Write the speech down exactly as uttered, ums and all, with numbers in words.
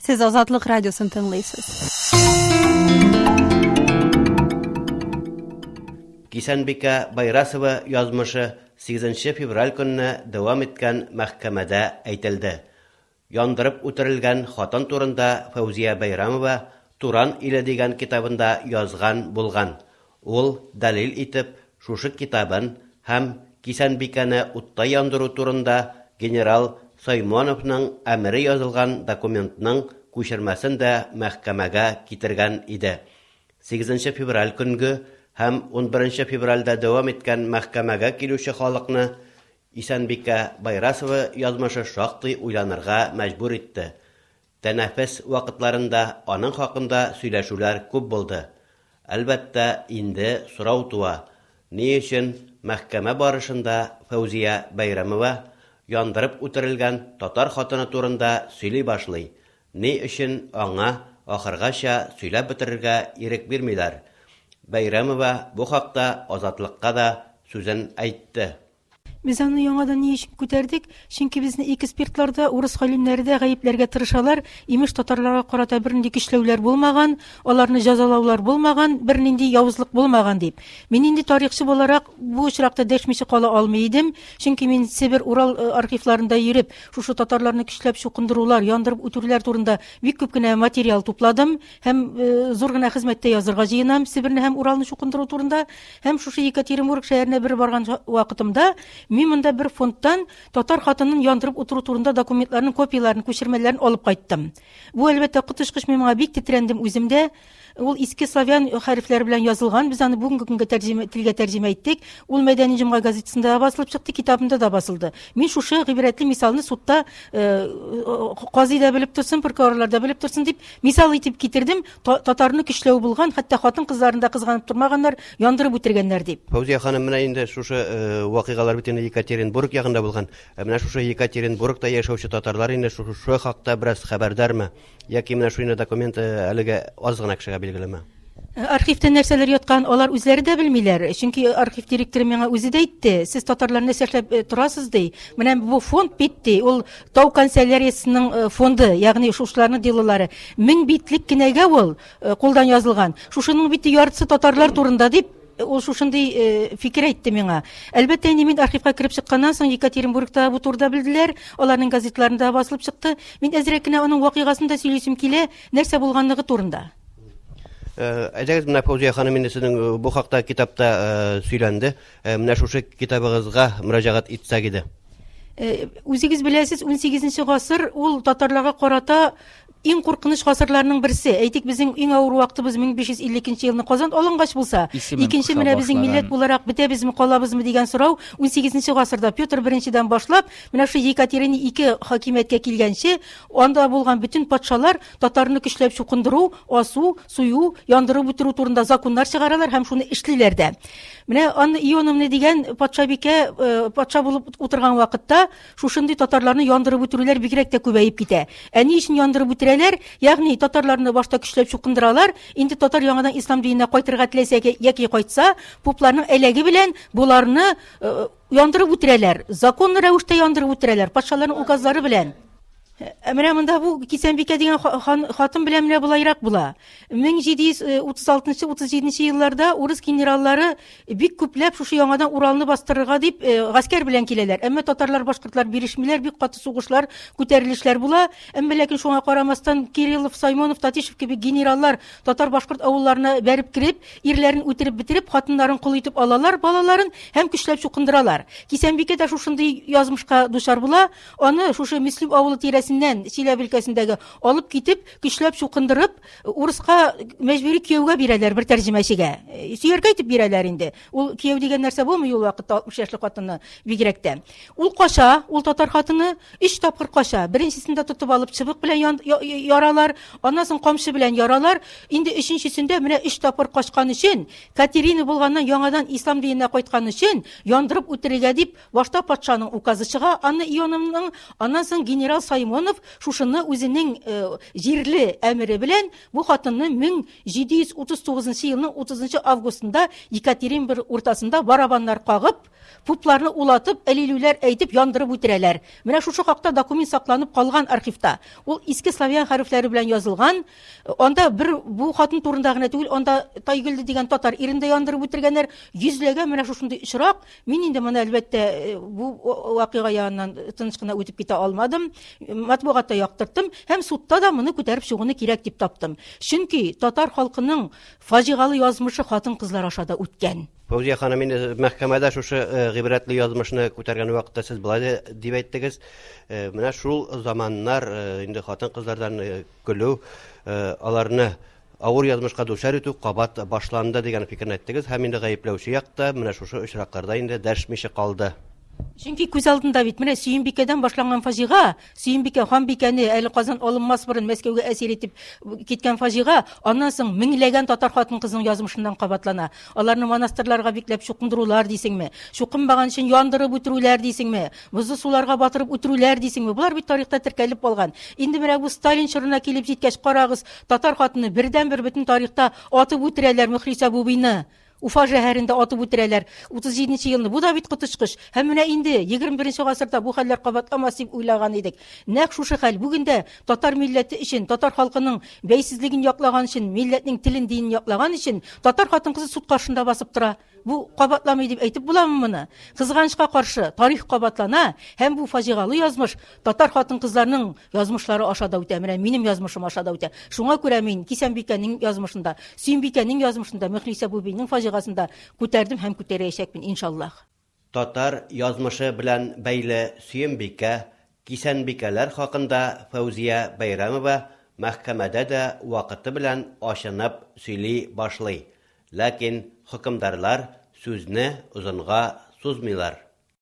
Сез Азатлык радиосын тыңлыйсыз. Кисәнбикә Байрасова язмышы сигезенче февраль көнне дәвам иткән мәхкәмәдә әйтелде. Яндырып үтерелгән хатын турында Фәүзия Бәйрәмова Туран иле дигән китабында язган булган. Ул дәлил итеп шушы китабын һәм Кисәнбикәне утта яндыру турында генерал Соймоновның әмере язылган документның күчермәсен дә мәхкәмәгә китергән иде. Сигезенче февраль көнге һәм унберенче февральдә дәвам иткән мәхкәмәгә килүче халыкны Исәнбикә Байрасова язмышы шактый уйланырга мәҗбүр итте. Тәнәфес вакытларында аның хакында сөйләшүләр күп булды. Әлбәттә, инде сорау туа. Ни өчен мәхкәмә барышында Фәүзия Бәйрәмова яндырып үтерелгән татар хатыны турында сөйли башлый? Ни өчен аңа ахыргача сөйләп бетерергә ирек бирмиләр? Бәйрәмова бу хакта Азатлыкка да сүзен әйтте. Без аны яңадан ни өчен күтәрдек? Чөнки безне экспертлар да, урыс галимнәре дә гаепләргә тырышалар. Имеш, татарларга карата бернинди көчләүләр булмаган, аларны җәзалаулар булмаган, бернинди явызлык булмаган дип. Мин инде тарихчы буларак бу очракта дәшмичә кала алмый идем. Чөнки мин Себер, Урал, э, архивларында йөреп, шушы татарларны көчләп чукындырулар, яндырып үтерүләр турында бик күп кенә материал тупладым һәм, э, зур гына хезмәттә язырга җыенам Себерне һәм Уралны чукындыру турында. Һәм шушы Екатеринбург шәһәренә бер барган вакытымда мин монда бер фондтан татар хатынын яндырып утыру турында документларның копияләрен, күчермәләрен алып кайттым. Бу әлбәттә коточкыч, мин моңа бик тетрәндем үзем дә. Ул иске славян хәрефләре белән язылган, без аны бүгенге көнгә тәрҗемә, телгә тәрҗемә иттек. Ул Мәдәни җомга газетасында да басылып чыкты, китабында да басылды. Мин шушы гыйбрәтле мисалны судта, э, казый да белеп торсын, прокурорлар да белеп торсын дип мисал итеп китердем. Та-, татарны көчләү булган, хәтта хатын-кызларын да кызганып тормаганнар, яндырып үтергәннәр дип. Фәүзия ханым, менә инде шушы, э, вакыйгалар бит инде Екатеринбург ягында булган. Ә менә шушы Екатеринбургта яшәүче татарлар инде шушы хакта бераз хәбәрдармы? Яки менә шуны документ, э, әлегә аз гына кешегә билгелеме? Архивта нәрсәләр яткан, алар үзләре дә белмиләр. Чөнки архив директоры миңа үзе дә әйтте, сез татарлар нәрсә эшләп, э, торасыз ди. Менә бу фонд бит ди, ул тау канцеляриясенең, э, фонды, ягъни шушыларның делолары. Мең битлек кенәгә ул, э, кулдан язылган. Шушының бит яртысы татарлар турында дип ул шушындый, э, фикер әйтте миңа. Әлбәттә, инде мин архивка кереп чыкканнан соң Екатеринбургта бу турыда белделәр, аларның газетларында басылып чыкты. Мин әзрәк кенә аның вакыйгасын да сөйлисем килә, нәрсә булганлыгы турында. Э, әйдәгез, менә Фәүзия ханым, инде сезнең, э, бу хакта китапта, э, сөйләнде. Э, менә шушы китабыгызга мөрәҗәгать итсәк иде. Э, үзегез беләсез, унсигезенче гасыр ул татарларга карата иң куркыныч гасырларның берсе. Әйтик, безнең иң авыр вакытыбыз мең биш йөз илле икенче елны Казан алынгач булса, Исемен икенче кыса менә безнең башлаган. милләт буларак бетәбезме, калабызмы дигән сорау унсигезенче гасырда Петр беренчедән башлап, менә шу Екатерина ике хакимияткә килгәнче, анда булган бөтен патшалар татарны көчләп чукындыру, асу, сую, яндырып үтерү турында законнар чыгаралар һәм шуны эшлиләр дә. Менә Анна Ионовна дигән патшабикә, э, патша булып утырган вакытта шушындый татарларны яндырып үтерүләр бигрәк тә күбәеп китә. Ә ни өчен яндырып үтерәләр? Ягъни татарларны башта көчләп чукындыралар, инде татар яңадан ислам диненә кайтырга теләсә яки кайтса, попларның әләге белән буларны, э, яндырып үтерәләр. Законлы рәвештә яндырып үтерәләр, патшаларның указлары белән. Ә менә монда бу Кисәнбикә дигән ха-, хан-, хатын белән менә болайрак була. Мең җиде йөз, э, утыз алтынчы, утыз җиденче елларда урыс генераллары бик күпләп шушы яңадан Уралны бастырырга дип, э, гаскәр белән киләләр. Әмма татарлар, башкортлар бирешмиләр, бик каты сугышлар, күтәрелешләр була. Әмма ләкин шуңа карамастан Кириллов, Саймонов, Татищев кебек генераллар татар-башкорт авылларына бәреп кереп, ирләрен үтереп бетереп, хатыннарын кол итеп алалар, балаларын һәм көчләп чукындыралар. Кисәнбикә дә шушындый язмышка дучар була. Аны шушы Мөслим авылы тирәсеннән Чиләбе өлкәсендәге алып китеп, көчләп чукындырып, урыска мәҗбүри кияүгә бирәләр бер тәрҗемәчегә. Э, сөяркә итеп бирәләр инде. Ул кияү дигән нәрсә булмый ул вакытта алтмыш яшьлек хатынны бигрәк тә. Ул кача, ул татар хатыны өч тапкыр кача. Беренчесендә тотып алып чыбык белән ян-, я-, яралар, аннан соң камчы белән яралар. Инде өченчесендә менә өч тапкыр качкан өчен, Катерина булганнан яңадан ислам диненә кайткан өчен яндырып үтерергә дип башта патшаның указы чыга, Анна Ионовның, аннан соң генерал Саймон Артамонов шушыны үзенең җирле әмере белән бу хатынны мең җиде йөз утыз тугызынчы елның утызынчы августында Екатеринбург уртасында барабаннар кагып, пупларны улатып, әлилүләр әйтеп яндырып үтерәләр. Менә шушы хакта документ сакланып калган архивта. Ул иске славян хәрефләре белән язылган. Анда бер бу хатын турында гына түгел, анда Тайгөлде дигән татар ирен дә яндырып үтергәннәр. Йөзләгән менә шушындый очрак. Мин инде моны әлбәттә бу вакыйга яныннан тыныч кына үтеп китә алмадым. Матбугатта яктырттым һәм судта да моны күтәреп чыгуны кирәк дип таптым. Чөнки татар халкының фаҗигалы язмышы хатын-кызлар аша да үткән. Фәүзия ханым, инде мәхкәмәдә шушы гыйбрәтле язмышны күтәргән вакытта сез болай дип әйттегез. Менә шул заманнар инде хатын-кызлардан көлү, аларны авыр язмышка дучар итү кабат башланды дигән фикерне әйттегез һәм инде гаепләүче якта менә шушы очракларда инде дәшмичә калды. Чөнки күз алдында бит менә Сөембикәдән башланган фаҗига, Сөембикә ханбикәне әле Казан алынмас борын Мәскәүгә әсир итеп киткән фаҗига, аннан соң меңләгән татар хатын-кызының язмышыннан кабатлана. Аларны монастырларга бикләп чукындырулар дисеңме, чукынмаган өчен яндырып үтерүләр дисеңме, бозлы суларга батырып үтерүләр дисеңме? Болар бит тарихта теркәлеп калган. Инде менә бу Сталин чорына килеп җиткәч, карагыз, татар хатыны бердән-бер бөтен тарихта атып үтерәләр Мөхлисә Бубыйны. Уфа шәһәрендә атып үтерәләр утыз җиденче елны. Бу да бит коточкыч. Һәм менә инде егерме беренче гасырда бу хәлләр кабатламас дип уйлаган идек. Нәкъ шушы хәл бүген дә татар милләте өчен, татар халкының бәйсезлеген яклаган өчен, милләтнең телен, динен яклаган өчен татар хатын-кызы суд каршында басып тора. Бу кабатламый дип әйтеп буламы моны? Кызганычка каршы тарих кабатлана һәм бу фаҗигалы язмыш татар хатын-кызларының язмышлары аша да үтә. Менә минем язмышым аша да үтә. Шуңа күрә мин Кисәнбикәнең язмышында, Сөембикәнең язмышында, Мөхлисә Бубыйның фаҗигасында күтәрдем һәм күтәрәчәкмен иншаллаһ. Татар язмышы белән бәйле Сөембикә, Кисәнбикәләр хакында Фәүзия Бәйрәмова мәхкәмәдә дә вакыты белән ачынып сөйли башлый. Ләкин хөкемдарлар сүзне озынга сузмыйлар.